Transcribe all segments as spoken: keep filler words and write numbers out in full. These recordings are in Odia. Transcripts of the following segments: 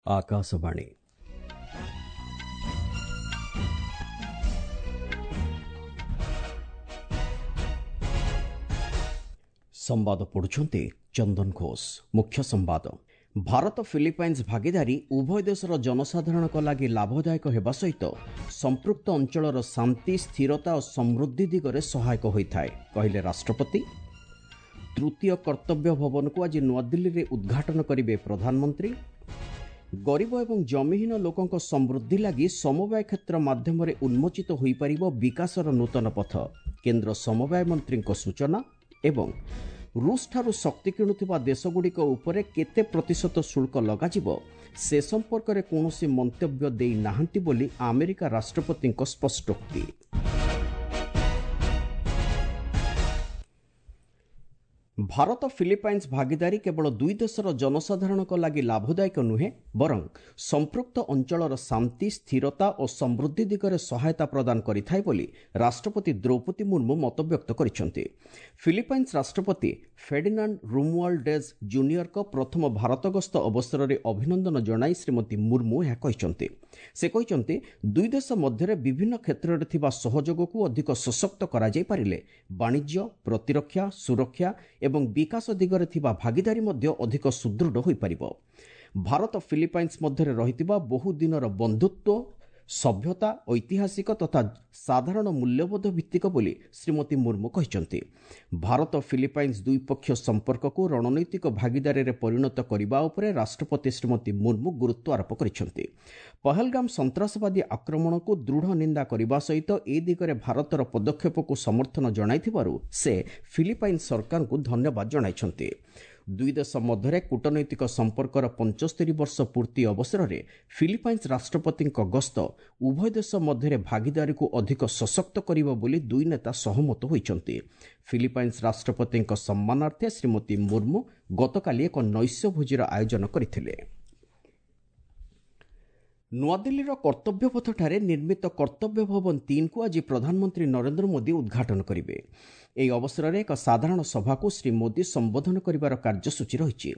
ଆକାଶବାଣୀ। ସମ୍ବାଦ ପଢୁଛନ୍ତି ଚନ୍ଦନ ଘୋଷ। ମୁଖ୍ୟ ସମ୍ବାଦ। ଭାରତ ଫିଲିପାଇନ୍ସ ଭାଗିଦାରୀ ଉଭୟ ଦେଶର ଜନସାଧାରଣଙ୍କ ଲାଗି ଲାଭଦାୟକ ହେବା ସହିତ ସମ୍ପୃକ୍ତ ଅଞ୍ଚଳର ଶାନ୍ତି, ସ୍ଥିରତା ଓ ସମୃଦ୍ଧି ଦିଗରେ ସହାୟକ ହୋଇଥାଏ, କହିଲେ ରାଷ୍ଟ୍ରପତି। ତୃତୀୟ କର୍ତ୍ତବ୍ୟ ଭବନକୁ ଆଜି ନୂଆଦିଲ୍ଲୀରେ ଉଦ୍ଘାଟନ କରିବେ ପ୍ରଧାନମନ୍ତ୍ରୀ। ଗରିବ ଏବଂ ଜମିହୀନ ଲୋକଙ୍କ ସମୃଦ୍ଧି ଲାଗି ସମବାୟ କ୍ଷେତ୍ର ମାଧ୍ୟମରେ ଉନ୍ମୋଚିତ ହୋଇପାରିବ ବିକାଶର ନୂତନ ପଥ, କେନ୍ଦ୍ର ସମବାୟ ମନ୍ତ୍ରୀଙ୍କ ସୂଚନା। ଏବଂ ରୁଷଠାରୁ ଶକ୍ତି କିଣୁଥିବା ଦେଶଗୁଡ଼ିକ ଉପରେ କେତେ ପ୍ରତିଶତ ଶୁଳ୍କ ଲଗାଯିବ ସେ ସମ୍ପର୍କରେ କୌଣସି ମନ୍ତବ୍ୟ ଦେଇନାହାନ୍ତି ବୋଲି ଆମେରିକା ରାଷ୍ଟ୍ରପତିଙ୍କ ସ୍ପଷ୍ଟୋକ୍ତି। ଭାରତ ଫିଲିପାଇନ୍ସ ଭାଗିଦାରୀ କେବଳ ଦୁଇ ଦେଶର ଜନସାଧାରଣଙ୍କ ଲାଗି ଲାଭଦାୟକ ନୁହେଁ, ବରଂ ସମ୍ପୃକ୍ତ ଅଞ୍ଚଳର ଶାନ୍ତି, ସ୍ଥିରତା ଓ ସମୃଦ୍ଧି ଦିଗରେ ସହାୟତା ପ୍ରଦାନ କରିଥାଏ ବୋଲି ରାଷ୍ଟ୍ରପତି ଦ୍ରୌପଦୀ ମୁର୍ମୁ ମତବ୍ୟକ୍ତ କରିଛନ୍ତି। ଫିଲିପାଇନ୍ସ ରାଷ୍ଟ୍ରପତି ଫେଡିନାଣ୍ଡ ରୁମୁଆଲ୍ଡେଜ୍ ଜୁନିୟରଙ୍କ ପ୍ରଥମ ଭାରତ ଗସ୍ତ ଅବସରରେ ଅଭିନନ୍ଦନ ଜଣାଇ ଶ୍ରୀମତୀ ମୁର୍ମୁ ଏହା କହିଛନ୍ତି। ସେ କହିଛନ୍ତି, ଦୁଇ ଦେଶ ମଧ୍ୟରେ ବିଭିନ୍ନ କ୍ଷେତ୍ରରେ ଥିବା ସହଯୋଗକୁ ଅଧିକ ସଶକ୍ତ କରାଯାଇପାରିଲେ ବାଣିଜ୍ୟ, ପ୍ରତିରକ୍ଷା, ସୁରକ୍ଷା ଏବଂ ବିକାଶ ଦିଗରେ ଥିବା ଭାଗିଦାରୀ ମଧ୍ୟ ଅଧିକ ସୁଦୃଢ଼ ହୋଇପାରିବ। ଭାରତ ଫିଲିପାଇନ୍ସ ମଧ୍ୟରେ ରହିଥିବା ବହୁ ଦିନର ବନ୍ଧୁତ୍ୱ, ସଭ୍ୟତା, ଐତିହାସିକ ତଥା ସାଧାରଣ ମୂଲ୍ୟବୋଧ ଭିତ୍ତିକ ବୋଲି ଶ୍ରୀମତୀ ମୁର୍ମୁ କହିଛନ୍ତି। ଭାରତ ଫିଲିପାଇନ୍ସ ଦ୍ୱିପକ୍ଷୀୟ ସମ୍ପର୍କକୁ ରଣନୈତିକ ଭାଗିଦାରୀରେ ପରିଣତ କରିବା ଉପରେ ରାଷ୍ଟ୍ରପତି ଶ୍ରୀମତୀ ମୁର୍ମୁ ଗୁରୁତ୍ୱ ଆରୋପ କରିଛନ୍ତି। ପହଲଗାମ ସନ୍ତ୍ରାସବାଦୀ ଆକ୍ରମଣକୁ ଦୃଢ଼ ନିନ୍ଦା କରିବା ସହିତ ଏ ଦିଗରେ ଭାରତର ପଦକ୍ଷେପକୁ ସମର୍ଥନ ଜଣାଇଥିବାରୁ ସେ ଫିଲିପାଇନ୍ସ ସରକାରଙ୍କୁ ଧନ୍ୟବାଦ ଜଣାଇଛନ୍ତି। ଦୁଇ ଦେଶ ମଧ୍ୟରେ କୂଟନୈତିକ ସମ୍ପର୍କର ପଞ୍ଚସ୍ତରୀ ବର୍ଷ ପୂର୍ତ୍ତି ଅବସରରେ ଫିଲିପାଇନ୍ସ ରାଷ୍ଟ୍ରପତିଙ୍କ ଗସ୍ତ ଉଭୟ ଦେଶ ମଧ୍ୟରେ ଭାଗିଦାରୀକୁ ଅଧିକ ସଶକ୍ତ କରିବ ବୋଲି ଦୁଇ ନେତା ସହମତ ହୋଇଛନ୍ତି। ଫିଲିପାଇନ୍ସ ରାଷ୍ଟ୍ରପତିଙ୍କ ସମ୍ମାନାର୍ଥେ ଶ୍ରୀମତୀ ମୁର୍ମୁ ଗତକାଲି ଏକ ନୈଶ୍ୟ ଭୋଜିର ଆୟୋଜନ କରିଥିଲେ। ନୂଆଦିଲ୍ଲୀର କର୍ତ୍ତବ୍ୟପଥଠାରେ ନିର୍ମିତ କର୍ତ୍ତବ୍ୟ ଭବନ ତିନିକୁ ଆଜି ପ୍ରଧାନମନ୍ତ୍ରୀ ନରେନ୍ଦ୍ର ମୋଦି ଉଦ୍ଘାଟନ କରିବେ। ଏହି ଅବସରରେ ଏକ ସାଧାରଣ ସଭାକୁ ଶ୍ରୀ ମୋଦି ସମ୍ବୋଧନ କରିବାର କାର୍ଯ୍ୟସୂଚୀ ରହିଛି।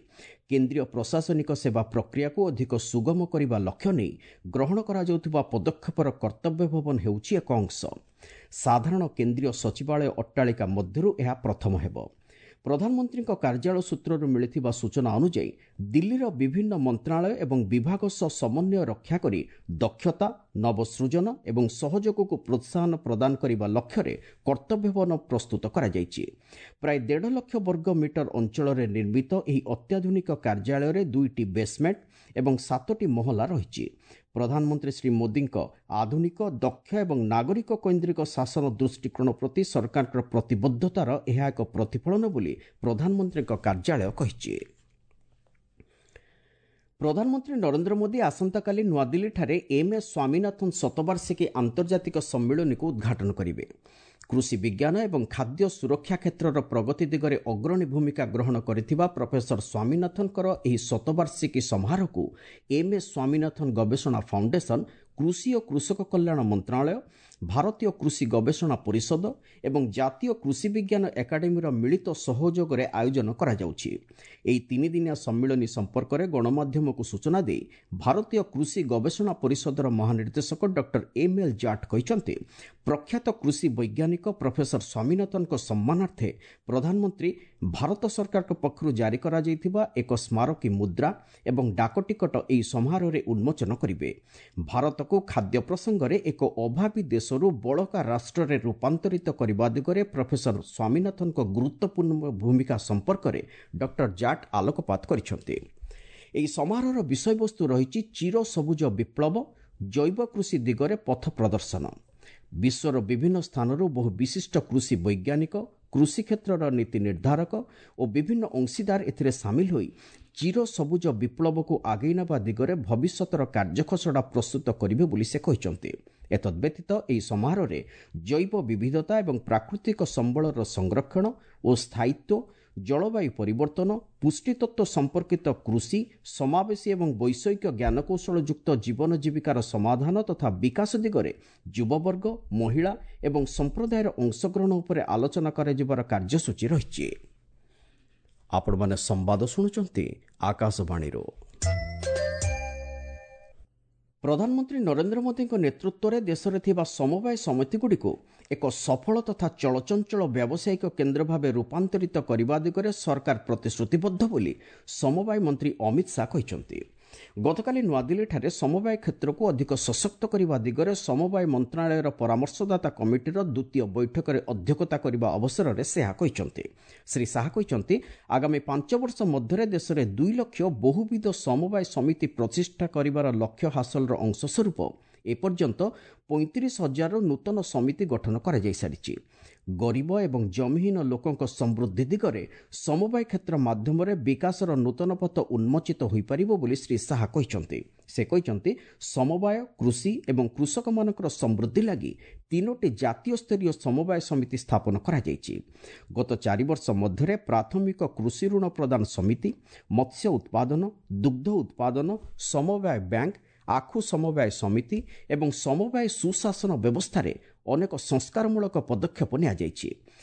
କେନ୍ଦ୍ରୀୟ ପ୍ରଶାସନିକ ସେବା ପ୍ରକ୍ରିୟାକୁ ଅଧିକ ସୁଗମ କରିବା ଲକ୍ଷ୍ୟ ନେଇ ଗ୍ରହଣ କରାଯାଉଥିବା ପଦକ୍ଷେପର କର୍ତ୍ତବ୍ୟ ଭବନ ହେଉଛି ଏକ ଅଂଶ। ସାଧାରଣ କେନ୍ଦ୍ରୀୟ ସଚିବାଳୟ ଅଟ୍ଟାଳିକା ମଧ୍ୟରୁ ଏହା ପ୍ରଥମ ହେବ। ପ୍ରଧାନମନ୍ତ୍ରୀଙ୍କ କାର୍ଯ୍ୟାଳୟ ସୂତ୍ରରୁ ମିଳିଥିବା ସୂଚନା ଅନୁଯାୟୀ ଦିଲ୍ଲୀର ବିଭିନ୍ନ ମନ୍ତ୍ରଣାଳୟ ଏବଂ ବିଭାଗ ସହ ସମନ୍ୱୟ ରକ୍ଷା କରି ଦକ୍ଷତା, ନବସୃଜନ ଏବଂ ସହଯୋଗକୁ ପ୍ରୋତ୍ସାହନ ପ୍ରଦାନ କରିବା ଲକ୍ଷ୍ୟରେ କର୍ତ୍ତବ୍ୟ ଭବନ ପ୍ରସ୍ତୁତ କରାଯାଇଛି। ପ୍ରାୟ ଦେଢ଼ ଲକ୍ଷ ବର୍ଗ ମିଟର ଅଞ୍ଚଳରେ ନିର୍ମିତ ଏହି ଅତ୍ୟାଧୁନିକ କାର୍ଯ୍ୟାଳୟରେ ଦୁଇଟି ବେସମେଣ୍ଟ ଏବଂ ସାତୋଟି ମହଲା ରହିଛି। ପ୍ରଧାନମନ୍ତ୍ରୀ ଶ୍ରୀ ମୋଦିଙ୍କ ଆଧୁନିକ, ଦକ୍ଷ ଏବଂ ନାଗରିକ କୈନ୍ଦ୍ରିକ ଶାସନ ଦୃଷ୍ଟିକୋଣ ପ୍ରତି ସରକାରଙ୍କ ପ୍ରତିବଦ୍ଧତାର ଏହା ଏକ ପ୍ରତିଫଳନ ବୋଲି ପ୍ରଧାନମନ୍ତ୍ରୀଙ୍କ କାର୍ଯ୍ୟାଳୟ କହିଛି। ପ୍ରଧାନମନ୍ତ୍ରୀ ନରେନ୍ଦ୍ର ମୋଦି ଆସନ୍ତାକାଲି ନୂଆଦିଲ୍ଲୀଠାରେ ଏମ୍ ଏସ୍ ସ୍ୱାମୀନାଥନ ଶତବାର୍ଷିକୀ ଆନ୍ତର୍ଜାତିକ ସମ୍ମିଳନୀକୁ ଉଦ୍ଘାଟନ କରିବେ। କୃଷି ବିଜ୍ଞାନ ଏବଂ ଖାଦ୍ୟ ସୁରକ୍ଷା କ୍ଷେତ୍ରର ପ୍ରଗତି ଦିଗରେ ଅଗ୍ରଣୀ ଭୂମିକା ଗ୍ରହଣ କରିଥିବା ପ୍ରଫେସର ସ୍ୱାମୀନାଥନଙ୍କର ଏହି ଶତବାର୍ଷିକୀ ସମାରୋହକୁ ଏମ୍ ଏସ୍ ସ୍ୱାମୀନାଥନ ଗବେଷଣା ଫାଉଣ୍ଡେସନ, କୃଷି ଓ କୃଷକ କଲ୍ୟାଣ ମନ୍ତ୍ରଣାଳୟ, ଭାରତୀୟ କୃଷି ଗବେଷଣା ପରିଷଦ ଏବଂ ଜାତୀୟ କୃଷି ବିଜ୍ଞାନ ଏକାଡେମୀର ମିଳିତ ସହଯୋଗରେ ଆୟୋଜନ କରାଯାଉଛି। ଏହି ତିନିଦିନିଆ ସମ୍ମିଳନୀ ସମ୍ପର୍କରେ ଗଣମାଧ୍ୟମକୁ ସୂଚନା ଦେଇ ଭାରତୀୟ କୃଷି ଗବେଷଣା ପରିଷଦର ମହାନିର୍ଦ୍ଦେଶକ ଡକ୍ଟର ଏମ୍ ଏଲ୍ ଜାଟ୍ କହିଛନ୍ତି, ପ୍ରଖ୍ୟାତ କୃଷି ବୈଜ୍ଞାନିକ ପ୍ରଫେସର ସ୍ୱାମୀନାଥନଙ୍କ ସମ୍ମାନାର୍ଥେ ପ୍ରଧାନମନ୍ତ୍ରୀ ଭାରତ ସରକାରଙ୍କ ପକ୍ଷରୁ ଜାରି କରାଯାଇଥିବା ଏକ ସ୍ମାରକୀ ମୁଦ୍ରା ଏବଂ ଡାକଟିକଟ ଏହି ସମାରୋହରେ ଉନ୍ମୋଚନ କରିବେ। ଭାରତକୁ ଖାଦ୍ୟ ପ୍ରସଙ୍ଗରେ ଏକ ଅଭାବୀ ଦେଶରୁ ବଳକା ରାଷ୍ଟ୍ରରେ ରୂପାନ୍ତରିତ କରିବା ଦିଗରେ ପ୍ରଫେସର ସ୍ୱାମୀନାଥନଙ୍କ ଗୁରୁତ୍ୱପୂର୍ଣ୍ଣ ଭୂମିକା ସମ୍ପର୍କରେ ଡକ୍ଟର ଜାଟ୍ ଆଲୋକପାତ କରିଛନ୍ତି। ଏହି ସମାରୋହର ବିଷୟବସ୍ତୁ ରହିଛି ଚିର ସବୁଜ ବିପ୍ଳବ, ଜୈବ କୃଷି ଦିଗରେ ପଥ ପ୍ରଦର୍ଶନ। ବିଶ୍ୱର ବିଭିନ୍ନ ସ୍ଥାନରୁ ବହୁ ବିଶିଷ୍ଟ କୃଷି ବୈଜ୍ଞାନିକ, କୃଷି କ୍ଷେତ୍ରର ନୀତି ନିର୍ଦ୍ଧାରକ ଓ ବିଭିନ୍ନ ଅଂଶୀଦାର ଏଥିରେ ସାମିଲ ହୋଇ ଚିର ସବୁଜ ବିପ୍ଳବକୁ ଆଗେଇ ନେବା ଦିଗରେ ଭବିଷ୍ୟତର କାର୍ଯ୍ୟଖସଡ଼ା ପ୍ରସ୍ତୁତ କରିବେ ବୋଲି ସେ କହିଛନ୍ତି। ଏତଦ୍ବ୍ୟତୀତ ଏହି ସମାରୋହରେ ଜୈବ ବିବିଧତା ଏବଂ ପ୍ରାକୃତିକ ସମ୍ବଳର ସଂରକ୍ଷଣ ଓ ସ୍ଥାୟିତ୍ୱ, ଜଳବାୟୁ ପରିବର୍ତ୍ତନ, ପୁଷ୍ଟିତତ୍ତ୍ୱ ସମ୍ପର୍କିତ କୃଷି, ସମାବେଶୀ ଏବଂ ବୈଷୟିକ ଜ୍ଞାନକୌଶଳଯୁକ୍ତ ଜୀବନ ଜୀବିକାର ସମାଧାନ ତଥା ବିକାଶ ଦିଗରେ ଯୁବବର୍ଗ, ମହିଳା ଏବଂ ସମ୍ପ୍ରଦାୟର ଅଂଶଗ୍ରହଣ ଉପରେ ଆଲୋଚନା କରାଯିବାର କାର୍ଯ୍ୟସୂଚୀ ରହିଛି। ଆପଣମାନେ ସମ୍ବାଦ ଶୁଣୁଛନ୍ତି ଆକାଶବାଣୀରୁ। ପ୍ରଧାନମନ୍ତ୍ରୀ ନରେନ୍ଦ୍ର ମୋଦିଙ୍କ ନେତୃତ୍ୱରେ ଦେଶରେ ଥିବା ସମବାୟ ସମିତିଗୁଡ଼ିକୁ ଏକ ସଫଳ ତଥା ଚଳଚଞ୍ଚଳ ବ୍ୟାବସାୟିକ କେନ୍ଦ୍ର ଭାବେ ରୂପାନ୍ତରିତ କରିବା ଦିଗରେ ସରକାର ପ୍ରତିଶ୍ରୁତିବଦ୍ଧ ବୋଲି ସମବାୟ ମନ୍ତ୍ରୀ ଅମିତ ଶାହା କହିଛନ୍ତି। ଗତକାଲି ନୂଆଦିଲ୍ଲୀଠାରେ ସମବାୟ କ୍ଷେତ୍ରକୁ ଅଧିକ ସଶକ୍ତ କରିବା ଦିଗରେ ସମବାୟ ମନ୍ତ୍ରଣାଳୟର ପରାମର୍ଶଦାତା କମିଟିର ଦ୍ୱିତୀୟ ବୈଠକରେ ଅଧ୍ୟକ୍ଷତା କରିବା ଅବସରରେ ସେ ଏହା କହିଛନ୍ତି। ଶ୍ରୀ ଶାହା କହିଛନ୍ତି, ଆଗାମୀ ପାଞ୍ଚ ବର୍ଷ ମଧ୍ୟରେ ଦେଶରେ ଦୁଇ ଲକ୍ଷ ବହୁବିଧ ସମବାୟ ସମିତି ପ୍ରତିଷ୍ଠା କରିବାର ଲକ୍ଷ୍ୟ ହାସଲର ଅଂଶସ୍ୱରୂପ ଏପର୍ଯ୍ୟନ୍ତ ପଇଁତିରିଶ ହଜାରରୁ ନୂତନ ସମିତି ଗଠନ କରାଯାଇସାରିଛି। ଗରିବ ଏବଂ ଜମିହୀନ ଲୋକଙ୍କ ସମୃଦ୍ଧି ଦିଗରେ ସମବାୟ କ୍ଷେତ୍ର ମାଧ୍ୟମରେ ବିକାଶର ନୂତନ ପଥ ଉନ୍ମୋଚିତ ହୋଇପାରିବ ବୋଲି ଶ୍ରୀ ଶାହା କହିଛନ୍ତି। ସେ କହିଛନ୍ତି, ସମବାୟ, କୃଷି ଏବଂ କୃଷକମାନଙ୍କର ସମୃଦ୍ଧି ଲାଗି ତିନୋଟି ଜାତୀୟ ସ୍ତରୀୟ ସମବାୟ ସମିତି ସ୍ଥାପନ କରାଯାଇଛି। ଗତ ଚାରି ବର୍ଷ ମଧ୍ୟରେ ପ୍ରାଥମିକ କୃଷି ଋଣ ପ୍ରଦାନ ସମିତି, ମତ୍ସ୍ୟ ଉତ୍ପାଦନ, ଦୁଗ୍ଧ ଉତ୍ପାଦନ, ସମବାୟ ବ୍ୟାଙ୍କ, ଆଖୁ ସମବାୟ ସମିତି ଏବଂ ସମବାୟ ସୁଶାସନ ବ୍ୟବସ୍ଥାରେ ଅନେକ ସଂସ୍କାରମୂଳକ ପଦକ୍ଷେପ ନିଆଯାଇଛି।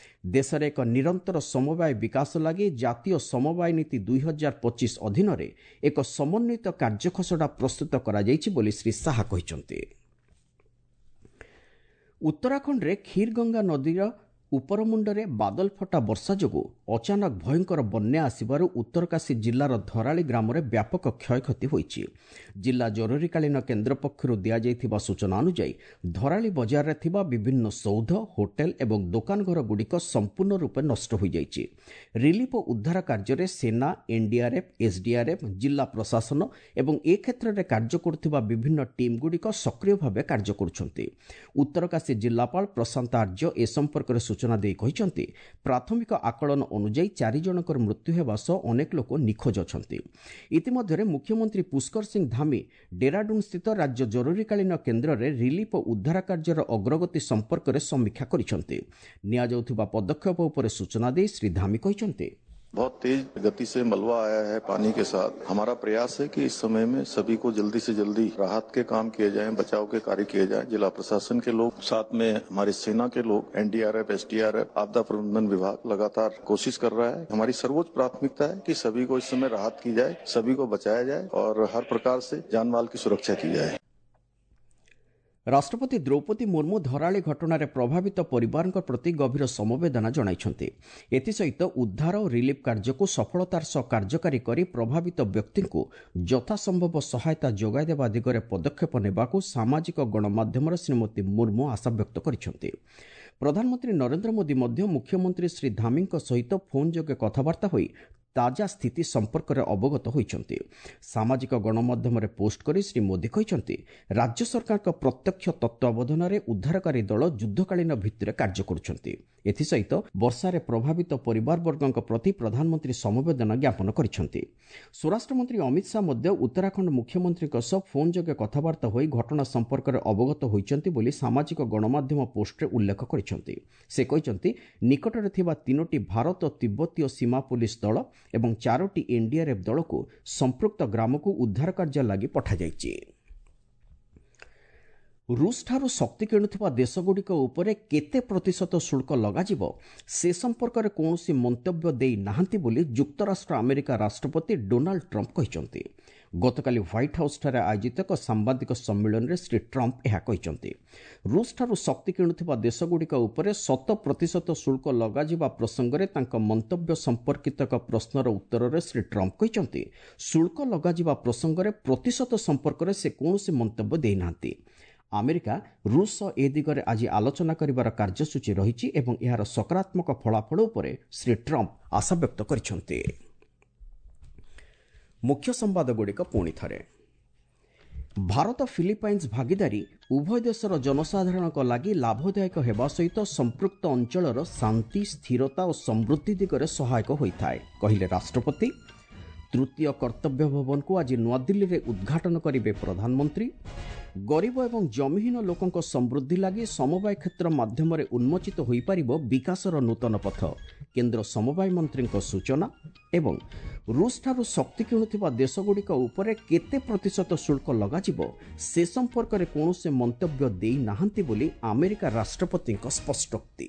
ଦେଶରେ ଏକ ନିରନ୍ତର ସମବାୟ ବିକାଶ ଲାଗି ଜାତୀୟ ସମବାୟ ନୀତି ଦୁଇ ହଜାର ପଚିଶ ଅଧୀନରେ ଏକ ସମନ୍ୱିତ କାର୍ଯ୍ୟଖସଡ଼ା ପ୍ରସ୍ତୁତ କରାଯାଇଛି ବୋଲି ଶ୍ରୀ ଶାହା କହିଛନ୍ତି। ଉତ୍ତରାଖଣ୍ଡରେ କ୍ଷୀରଗଙ୍ଗା ନଦୀର ଉପରମୁଣ୍ଡରେ ବାଦଲଫଟା ବର୍ଷା ଯୋଗୁଁ ଅଚାନକ ଭୟଙ୍କର ବନ୍ୟା ଆସିବାରୁ ଉତ୍ତରକାଶୀ ଜିଲ୍ଲାର ଧରାଳି ଗ୍ରାମରେ ବ୍ୟାପକ କ୍ଷୟକ୍ଷତି ହୋଇଛି। ଜିଲ୍ଲା ଜରୁରୀକାଳୀନ କେନ୍ଦ୍ର ପକ୍ଷରୁ ଦିଆଯାଇଥିବା ସୂଚନା ଅନୁଯାୟୀ ଧରାଳି ବଜାରରେ ଥିବା ବିଭିନ୍ନ ସୌଧ, ହୋଟେଲ ଏବଂ ଦୋକାନଘରଗୁଡ଼ିକ ସମ୍ପୂର୍ଣ୍ଣ ରୂପେ ନଷ୍ଟ ହୋଇଯାଇଛି। ରିଲିଫ୍ ଓ ଉଦ୍ଧାର କାର୍ଯ୍ୟରେ ସେନା, ଏନ୍ଡିଆର୍ଏଫ୍, ଏସ୍ଡିଆର୍ଏଫ୍, ଜିଲ୍ଲା ପ୍ରଶାସନ ଏବଂ ଏ କ୍ଷେତ୍ରରେ କାର୍ଯ୍ୟ କରୁଥିବା ବିଭିନ୍ନ ଟିମ୍ଗୁଡ଼ିକ ସକ୍ରିୟ ଭାବେ କାର୍ଯ୍ୟ କରୁଛନ୍ତି। ଉତ୍ତରକାଶୀ ଜିଲ୍ଲାପାଳ ପ୍ରଶାନ୍ତ ଆର୍ଯ୍ୟ ଏ ସମ୍ପର୍କରେ ସୂଚନା ଦେଇ କହିଛନ୍ତି, ପ୍ରାଥମିକ ଆକଳନ ଅନୁଯାୟୀ ଚାରି ଜଣଙ୍କର ମୃତ୍ୟୁ ହେବା ସହ ଅନେକ ଲୋକ ନିଖୋଜ ଅଛନ୍ତି। ଇତିମଧ୍ୟରେ ମୁଖ୍ୟମନ୍ତ୍ରୀ ପୁଷ୍କର ସିଂ ଧାମି ଡେରାଡୁନ୍ ସ୍ଥିତ ରାଜ୍ୟ ଜରୁରୀକାଳୀନ କେନ୍ଦ୍ରରେ ରିଲିଫ୍ ଓ ଉଦ୍ଧାର କାର୍ଯ୍ୟର ଅଗ୍ରଗତି ସମ୍ପର୍କରେ ସମୀକ୍ଷା କରିଛନ୍ତି। ନିଆଯାଉଥିବା ପଦକ୍ଷେପ ଉପରେ ସୂଚନା ଦେଇ ଶ୍ରୀ ଧାମି କହିଛନ୍ତି, बहुत तेज गति से मलबा आया है पानी के साथ। हमारा प्रयास है कि इस समय में सभी को जल्दी से जल्दी राहत के काम किए जाएं, बचाव के कार्य किए जाएं। जिला प्रशासन के लोग, साथ में हमारी सेना के लोग, एनडीआरएफ, एसडीआरएफ, आपदा प्रबंधन विभाग लगातार कोशिश कर रहा है। हमारी सर्वोच्च प्राथमिकता है कि सभी को इस समय राहत की जाए, सभी को बचाया जाए और हर प्रकार से जान माल की सुरक्षा की जाए। ରାଷ୍ଟ୍ରପତି ଦ୍ରୌପଦୀ ମୁର୍ମୁ ଧରାଳି ଘଟଣାରେ ପ୍ରଭାବିତ ପରିବାରଙ୍କ ପ୍ରତି ଗଭୀର ସମବେଦନା ଜଣାଇଛନ୍ତି। ଏଥିସହିତ ଉଦ୍ଧାର ଓ ରିଲିଫ୍ କାର୍ଯ୍ୟକୁ ସଫଳତାର ସହ କାର୍ଯ୍ୟକାରୀ କରି ପ୍ରଭାବିତ ବ୍ୟକ୍ତିଙ୍କୁ ଯଥାସମ୍ଭବ ସହାୟତା ଯୋଗାଇଦେବା ଦିଗରେ ପଦକ୍ଷେପ ନେବାକୁ ସାମାଜିକ ଗଣମାଧ୍ୟମରେ ଶ୍ରୀମତୀ ମୁର୍ମୁ ଆଶାବ୍ୟକ୍ତ କରିଛନ୍ତି। ପ୍ରଧାନମନ୍ତ୍ରୀ ନରେନ୍ଦ୍ର ମୋଦି ମଧ୍ୟ ମୁଖ୍ୟମନ୍ତ୍ରୀ ଶ୍ରୀ ଧାମିଙ୍କ ସହିତ ଫୋନ୍ ଯୋଗେ କଥାବାର୍ତ୍ତା ହୋଇ ତାଜା ସ୍ଥିତି ସମ୍ପର୍କରେ ଅବଗତ ହୋଇଛନ୍ତି। ସାମାଜିକ ଗଣମାଧ୍ୟମରେ ପୋଷ୍ଟ କରି ଶ୍ରୀ ମୋଦି କହିଛନ୍ତି, ରାଜ୍ୟ ସରକାରଙ୍କ ପ୍ରତ୍ୟକ୍ଷ ତତ୍ତ୍ୱାବଧାନରେ ଉଦ୍ଧାରକାରୀ ଦଳ ଯୁଦ୍ଧକାଳୀନ ଭିତ୍ତିରେ କାର୍ଯ୍ୟ କରୁଛନ୍ତି। ଏଥିସହିତ ବର୍ଷାରେ ପ୍ରଭାବିତ ପରିବାରବର୍ଗଙ୍କ ପ୍ରତି ପ୍ରଧାନମନ୍ତ୍ରୀ ସମବେଦନା ଜ୍ଞାପନ କରିଛନ୍ତି। ସ୍ୱରାଷ୍ଟ୍ରମନ୍ତ୍ରୀ ଅମିତ ଶାହା ମଧ୍ୟ ଉତ୍ତରାଖଣ୍ଡ ମୁଖ୍ୟମନ୍ତ୍ରୀଙ୍କ ସହ ଫୋନ୍ ଯୋଗେ କଥାବାର୍ତ୍ତା ହୋଇ ଘଟଣା ସମ୍ପର୍କରେ ଅବଗତ ହୋଇଛନ୍ତି ବୋଲି ସାମାଜିକ ଗଣମାଧ୍ୟମ ପୋଷ୍ଟରେ ଉଲ୍ଲେଖ କରିଛନ୍ତି। ସେ କହିଛନ୍ତି, ନିକଟରେ ଥିବା ତିନୋଟି ଭାରତ ତିବ୍ବତୀୟ ସୀମା ପୋଲିସ ଦଳ ଏବଂ ଚାରୋଟି ଏନ୍ଡିଆର୍ଏଫ୍ ଦଳକୁ ସମ୍ପୃକ୍ତ ଗ୍ରାମକୁ ଉଦ୍ଧାର କାର୍ଯ୍ୟ ଲାଗି ପଠାଯାଇଛି। ରୁଷଠାରୁ ଶକ୍ତି କିଣୁଥିବା ଦେଶଗୁଡ଼ିକ ଉପରେ କେତେ ପ୍ରତିଶତ ଶୁଳ୍କ ଲଗାଯିବ ସେ ସମ୍ପର୍କରେ କୌଣସି ମନ୍ତବ୍ୟ ଦେଇ ନାହାନ୍ତି ବୋଲି ଯୁକ୍ତରାଷ୍ଟ୍ର ଆମେରିକା ରାଷ୍ଟ୍ରପତି ଡୋନାଲ୍ଡ ଟ୍ରମ୍ପ କହିଛନ୍ତି। ଗତକାଲି ହ୍ୱାଇଟ୍ ହାଉସ୍ଠାରେ ଆୟୋଜିତ ଏକ ସାମ୍ବାଦିକ ସମ୍ମିଳନୀରେ ଶ୍ରୀ ଟ୍ରମ୍ପ ଏହା କହିଛନ୍ତି। ରୁଷଠାରୁ ଶକ୍ତି କିଣୁଥିବା ଦେଶଗୁଡ଼ିକ ଉପରେ ଶତ ପ୍ରତିଶତ ଶୁଳ୍କ ଲଗାଯିବା ପ୍ରସଙ୍ଗରେ ତାଙ୍କ ମନ୍ତବ୍ୟ ସମ୍ପର୍କିତ ଏକ ପ୍ରଶ୍ନର ଉତ୍ତରରେ ଶ୍ରୀ ଟ୍ରମ୍ପ କହିଛନ୍ତି, ଶୁଳ୍କ ଲଗାଯିବା ପ୍ରସଙ୍ଗରେ ପ୍ରତିଶତ ସମ୍ପର୍କରେ ସେ କୌଣସି ମନ୍ତବ୍ୟ ଦେଇନାହାନ୍ତି। ଆମେରିକା ରୁଷ ସହ ଏ ଦିଗରେ ଆଜି ଆଲୋଚନା କରିବାର କାର୍ଯ୍ୟସୂଚୀ ରହିଛି ଏବଂ ଏହାର ସକାରାତ୍ମକ ଫଳାଫଳ ଉପରେ ଶ୍ରୀ ଟ୍ରମ୍ପ ଆଶାବ୍ୟକ୍ତ କରିଛନ୍ତି। ମୁଖ୍ୟ ସମ୍ବାଦଗୁଡ଼ିକ ପୁଣି ଥରେ। ଭାରତ ଫିଲିପାଇନ୍ସ ଭାଗିଦାରୀ ଉଭୟ ଦେଶର ଜନସାଧାରଣଙ୍କ ଲାଗି ଲାଭଦାୟକ ହେବା ସହିତ ସମ୍ପୃକ୍ତ ଅଞ୍ଚଳର ଶାନ୍ତି, ସ୍ଥିରତା ଓ ସମୃଦ୍ଧି ଦିଗରେ ସହାୟକ ହୋଇଥାଏ, କହିଲେ ରାଷ୍ଟ୍ରପତି। ତୃତୀୟ କର୍ତ୍ତବ୍ୟ ଭବନକୁ ଆଜି ନୂଆଦିଲ୍ଲୀରେ ଉଦ୍ଘାଟନ କରିବେ ପ୍ରଧାନମନ୍ତ୍ରୀ। ଗରିବ ଏବଂ ଜମିହୀନ ଲୋକଙ୍କ ସମୃଦ୍ଧି ଲାଗି ସମବାୟ କ୍ଷେତ୍ର ମାଧ୍ୟମରେ ଉନ୍ମୋଚିତ ହୋଇପାରିବ ବିକାଶର ନୂତନ ପଥ, କେନ୍ଦ୍ର ସମବାୟ ମନ୍ତ୍ରୀଙ୍କ ସୂଚନା। ଏବଂ ରୁଷଠାରୁ ଶକ୍ତି କିଣୁଥିବା ଦେଶଗୁଡ଼ିକ ଉପରେ କେତେ ପ୍ରତିଶତ ଶୁଳ୍କ ଲଗାଯିବ ସେ ସମ୍ପର୍କରେ କୌଣସି ମନ୍ତବ୍ୟ ଦେଇନାହାନ୍ତି ବୋଲି ଆମେରିକା ରାଷ୍ଟ୍ରପତିଙ୍କ ସ୍ପଷ୍ଟୋକ୍ତି।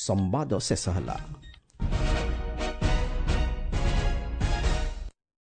ସମ୍ବାଦ ଶେଷ ହେଲା।